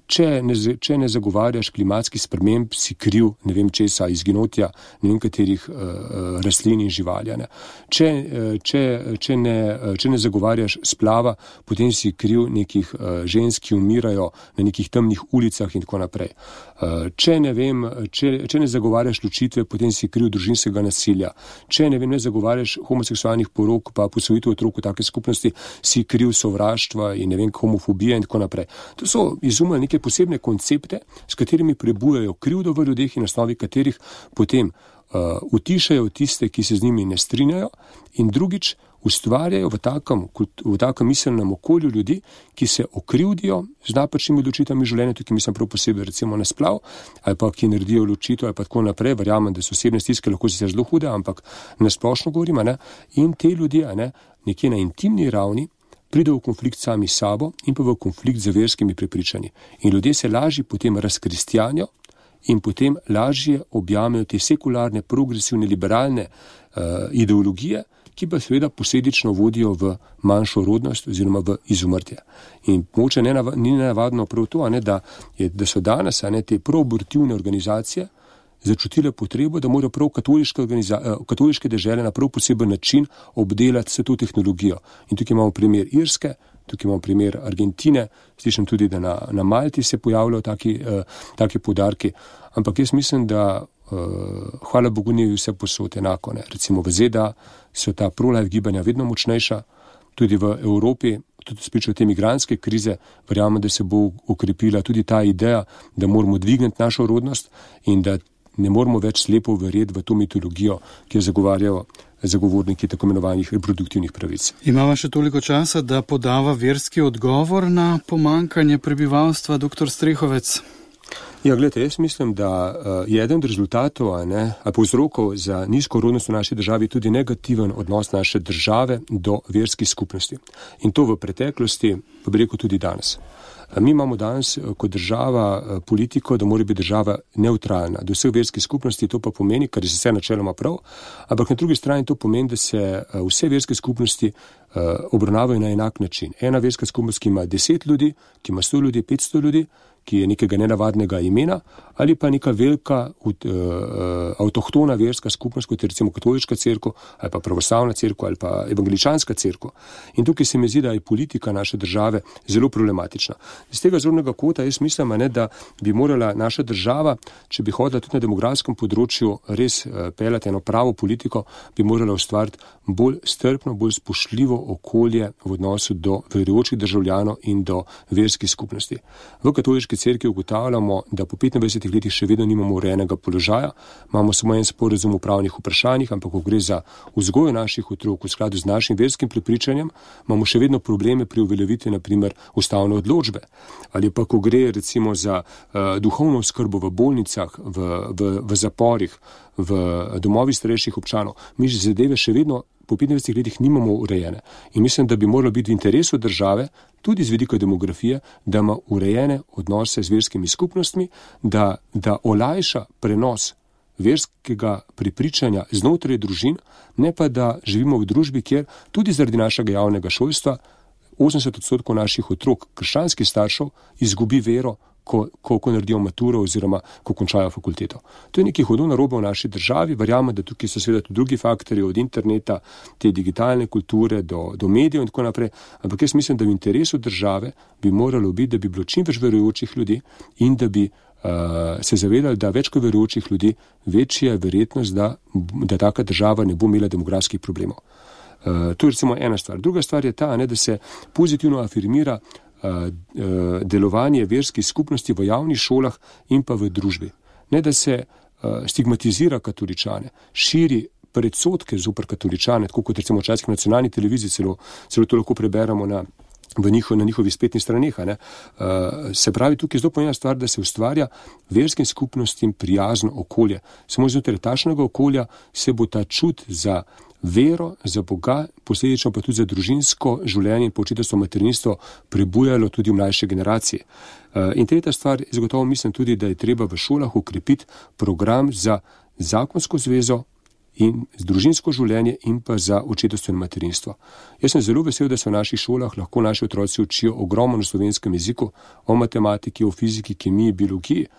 Če ne, če ne zagovarjaš klimatskih sprememb, si kriv, ne vem česa, izginotja, ne vem katerih uh, rastlin in živalja. Ne. Če, če, če, ne, če ne zagovarjaš splava, potem si kriv nekih uh, žensk, ki umirajo na nekih temnih ulicah in tako naprej. Uh, če, ne vem, če, če ne zagovarjaš ločitve, potem si kriv družinskega nasilja. Če ne, vem, ne zagovarjaš homoseksualnih porok, pa posvojitev otrok v take skupnosti, si kriv sovraštva in ne vem, homofobije in tako naprej. To so izumili neke posebne koncepte, s katerimi prebujajo krivdo v ljudeh in na osnovi katerih potem uh, utišajo tiste, ki se z njimi ne strinjajo, in drugič ustvarjajo v takem, v takem miselnem okolju ljudi, ki se okrivdijo z napačnimi odločitvami življenja, tukaj mislim prav posebej recimo na splav, ali pa ki naredijo odločitev ali pa tako naprej, verjamem, da so osebne stiske lahko sicer zelo hude, ampak na splošno govorim, ne, in te ljudje, ne, nekje na intimni ravni pride v konflikt sami sabo in pa v konflikt z verskimi prepričanji. In ljudje se lažje potem razkristjanijo in potem lažje objamejo te sekularne, progresivne, liberalne uh, ideologije, ki pa seveda posledično vodijo v manjšo rodnost oziroma v izumrtje. In mogoče ne nav- ni navadno prav to, a ne, da, je, da so danes a ne, te proabortivne organizacije začutile potrebo, da morajo prav katoliške, organiza- katoliške dežele na prav poseben način obdelati vse to tehnologijo. In tukaj imamo primer Irske, tukaj imamo primer Argentine, slišim tudi, da na, na Malti se pojavljajo taki, uh, taki podarki, ampak jaz mislim, da uh, hvala Bogu ni vse posod enako. Ne. Recimo v Z D A so ta pro-life gibanja vedno močnejša, tudi v Evropi, tudi spričo te migrantske krize, verjamem, da se bo ukrepila tudi ta ideja, da moramo dvigniti našo rodnost in da ne moramo več slepo verjeti v to mitologijo, ki jo zagovarjajo zagovorniki tako imenovanih reproduktivnih pravic. Imamo še toliko časa, da podava verski odgovor na pomankanje prebivalstva, doktor Strehovec? Ja, gledajte, jaz mislim, da uh, je eden od rezultatov, a ne, a povzrokov za nizko rodnost v naši državi tudi negativen odnos naše države do verskih skupnosti. In to v preteklosti, pa bi rekel tudi danes. Mi imamo danes kot država politiko, da mora biti država neutralna do vseh verskih skupnosti, to pa pomeni, kar je vse načeloma prav, ampak na drugi strani to pomeni, da se vse verske skupnosti obravnavajo na enak način. Ena verska skupnost, ki ima deset ljudi, ki ima sto ljudi, petsto ljudi, ki je nekega nenavadnega imena, ali pa neka velika uh, avtohtona verska skupnost, kot je recimo katoliška cerkev, ali pa pravoslavna cerkev, ali pa evangeličanska cerkev. In tukaj se mi zdi, da je politika naše države zelo problematična. Z tega zornega kota jaz mislim, ne, da bi morala naša država, če bi hodila tudi na demografskem področju res uh, peljati eno pravo politiko, bi morala ustvariti bolj strpno, bolj spoštljivo okolje v odnosu do verujočih državljanov in do verskih skupnosti. V katoliški cerkvi ugotavljamo, da po petindvajsetih letih še vedno nimamo urejenega položaja, imamo samo en sporazum o pravnih vprašanjih, ampak ko gre za vzgojo naših otrok v skladu z našim verskim prepričanjem, imamo še vedno probleme pri uveljavitvi, na primer, ustavne odločbe. Ali pa ko gre recimo za uh, duhovno oskrbo v bolnicah, v, v, v zaporih, v domovih starejših občanov, mi že zadeve še vedno po petindvajsetih letih nimamo urejene. In mislim, da bi moralo biti v interesu države, tudi z vidika demografije, da ima urejene odnose z verskimi skupnostmi, da, da olajša prenos verskega prepričanja znotraj družin, ne pa da živimo v družbi, kjer tudi zaradi našega javnega šolstva osemdeset odstotkov naših otrok, krščanskih staršev, izgubi vero, Ko, ko, ko naredijo maturo oziroma ko končajo fakulteto. To je nekaj hudo narobe v naši državi, verjamem, da tukaj so seveda tudi drugi faktorji, od interneta, te digitalne kulture do, do medijev in tako naprej, ampak jaz mislim, da v interesu države bi moralo biti, da bi bilo čim več verujočih ljudi in da bi uh, se zavedali, da več kot verujočih ljudi, večja je verjetnost, da, da taka država ne bo imela demografskih problemov. Uh, to je recimo ena stvar. Druga stvar je ta, ne, da se pozitivno afirmira delovanje verskih skupnosti v javnih šolah in pa v družbi. Ne, da se uh, stigmatizira katoličane, širi predsodke zoper katoličane, tako kot recimo včasih na nacionalni televiziji, celo, celo to lahko preberamo na, v njihov, na njihovih spletnih straneh. Uh, se pravi, tukaj je zelo pomembna stvar, da se ustvarja verskim skupnostim prijazno okolje. Samo znotraj takšnega okolja se bo ta čut za vero, za Boga, posledično pa tudi za družinsko življenje in početovstvo materinstvo prebujalo tudi v mlajše generacije. In tretja stvar, zagotovo mislim tudi, da je treba v šolah ukrepiti program za zakonsko zvezo in družinsko življenje in pa za očetovstvo in materinstvo. Jaz sem zelo vesel, da se v naših šolah lahko naši otroci učijo ogromno o slovenskem jeziku, o matematiki, o fiziki, kemiji, biologiji.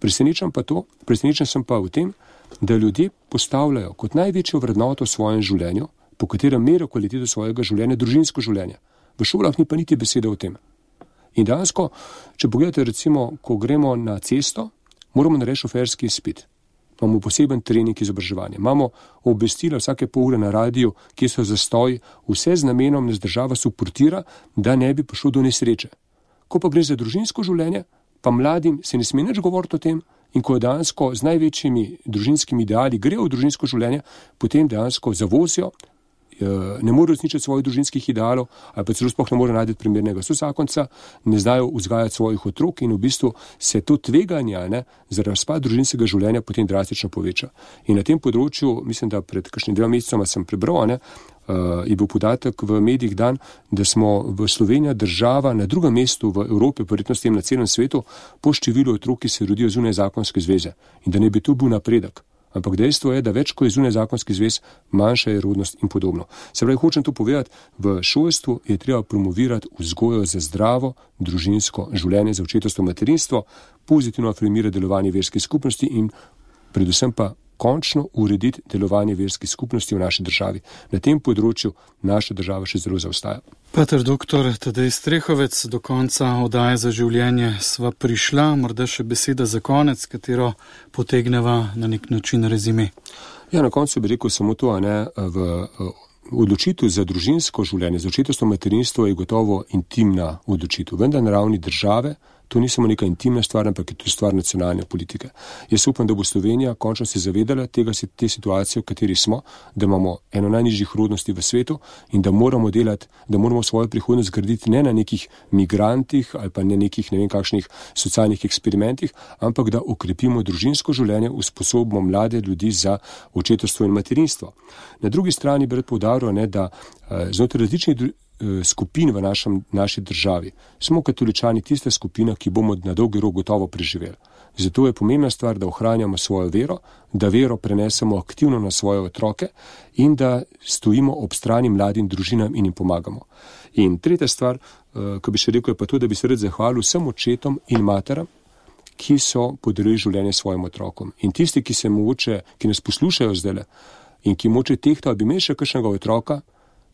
Presenečen pa to, presenečen sem pa v tem, da ljudje postavljajo kot največjo vrednoto v svojem življenju, po katerem merijo kvaliteto svojega življenja, družinsko življenje. V šolah ni pa niti besede o tem. In dejansko, če pogledate recimo, ko gremo na cesto, moramo narediti šoferski izpit. Imamo poseben trening izobraževanja. Imamo obvestila vsake pol ure na radiju, kje so zastoji, vse z namenom nas država suportira, da ne bi prišlo do nesreče. Ko pa gre za družinsko življenje, pa mladim se ne sme nič govoriti o tem, in ko dejansko z največjimi družinskimi ideali grejo v družinsko življenje, potem dejansko zavozijo, ne morejo resničiti svojih družinskih idealov, ali pa celo sploh ne morejo najti primernega sozakonca, ne znajo vzgajati svojih otrok in v bistvu se to tveganje ne, za razpad družinskega življenja potem drastično poveča. In na tem področju, mislim, da pred kakšnim dvema mesecoma sem prebral, ne, uh, je bil podatek v medijih dan, da smo v Sloveniji država na drugem mestu v Evropi, verjetno s tem na celem svetu, po številu otrok, ki se rodijo zunaj zakonske zveze. In da ne bi to bil napredek. Ampak dejstvo je, da več ko je zunaj zakonski zvez, manjša je rodnost in podobno. Se pravi, hočem to povedati, v šolstvu je treba promovirati vzgojo za zdravo družinsko življenje, za očetovstvo, materinstvo, pozitivno afirmirati delovanje verskih skupnosti in predvsem pa končno urediti delovanje verskih skupnosti v naši državi. Na tem področju naša država še zelo zaostaja. Pater doktor Tadej Strehovec, do konca oddaje Za življenje sva prišla, morda še beseda za konec, katero potegneva na nek način rezime. Ja, na koncu bi rekel samo to, a ne, v odločitev za družinsko življenje, za očetovstvo, materinstvo je gotovo intimna odločitev, vendar na ravni države to ni samo neka intimna stvar, ampak je to stvar nacionalne politike. Jaz upam, da bo Slovenija končno se zavedala tega, te situacije, v kateri smo, da imamo eno najnižjih rodnosti v svetu in da moramo delati, da moramo svojo prihodnost graditi ne na nekih migrantih ali pa ne nekih ne vem kakšnih socialnih eksperimentih, ampak da okrepimo družinsko življenje, usposobimo mlade ljudi za očetovstvo in materinstvo. Na drugi strani bi rad poudaril, ne, da znotraj različnih skupin v našem, naši državi smo katoličani tista skupina, ki bomo na dolgi rok gotovo preživeli. Zato je pomembna stvar, da ohranjamo svojo vero, da vero prenesemo aktivno na svoje otroke in da stojimo ob strani mladim družinam in jim pomagamo. In tretja stvar, ki bi še rekel, je pa to, da bi se rad zahvalil vsem očetom in materam, ki so podarili življenje svojim otrokom. In tisti, ki se mogoče, ki nas poslušajo zdajle in ki moče tehtajo, bi imeli še kakšnega otroka,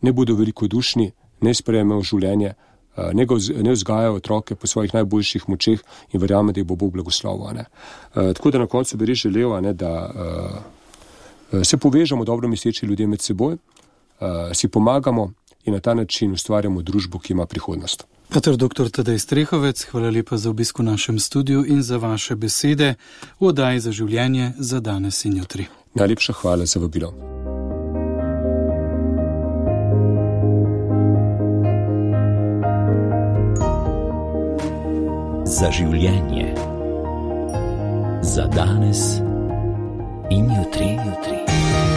ne bodo velikodušni, ne sprejmejo življenje, ne, go, ne vzgajajo otroke po svojih najboljših močeh in verjame, da jih bo Bog blagoslovil. Ne. Tako da na koncu bi res želel, ne, da uh, se povežemo dobro misleči ljudje med seboj, uh, si pomagamo in na ta način ustvarjamo družbo, ki ima prihodnost. Pater doktor Tadej Strehovec, hvala lepa za obisk v našem studiu in za vaše besede v oddaji Za življenje za danes in jutri. Najlepša hvala za vabilo. Za življenje. Za danes in jutri, jutri.